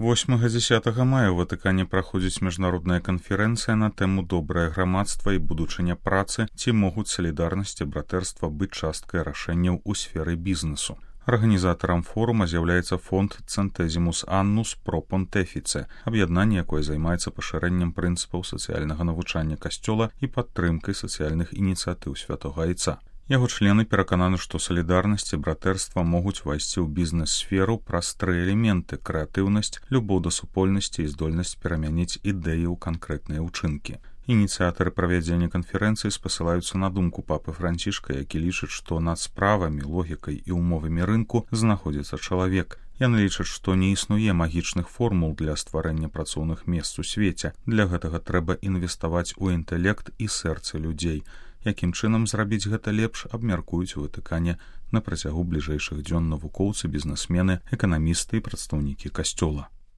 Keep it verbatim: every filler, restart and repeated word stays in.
восьмага-дзесятага мая ў Ватыкане праходзіць міжнародная канферэнцыя на тэму «Добрае грамадства і будучыня працы. Ці могуць салідарнасць і братэрства быць часткай рашэнняў у сферы бізнесу». Арганізатарам форума з'яўляецца фонд «Цэнтэзімус Аннус Про Понтефіце», аб'яднанне, якое займаецца пашырэннем прынцыпаў сацыяльнага навучання касцёла і падтрымкай сацыяльных ініцыятыў святога Айца. Яго члены перакананы, што салідарнасць і братэрства могуць увайсці ў бізнес-сферу праз тры элементы: крэатыўнасць, любоў да супольнасці і здольнасць перамяніць ідэі ў канкрэтныя ўчынкі. Ініцыятары правядзення канферэнцыі спасылаюцца на думку папы Францішка, які лічыць, што над справамі, логікай і ўмовамі рынку знаходзіцца чалавек. Яны лічаць, што не існуе магічных формул для стварэння працоўных месц у свеце. Для гэтага трэба інвеставаць у інтэлект і сэрцы людзей. Якім чынам зрабіць гэта лепш, абмяркуюць у Ватыкане на працягу бліжэйшых дзён навукоўцы, бізнесмены, эканамісты і прадстаўнікі касцёла.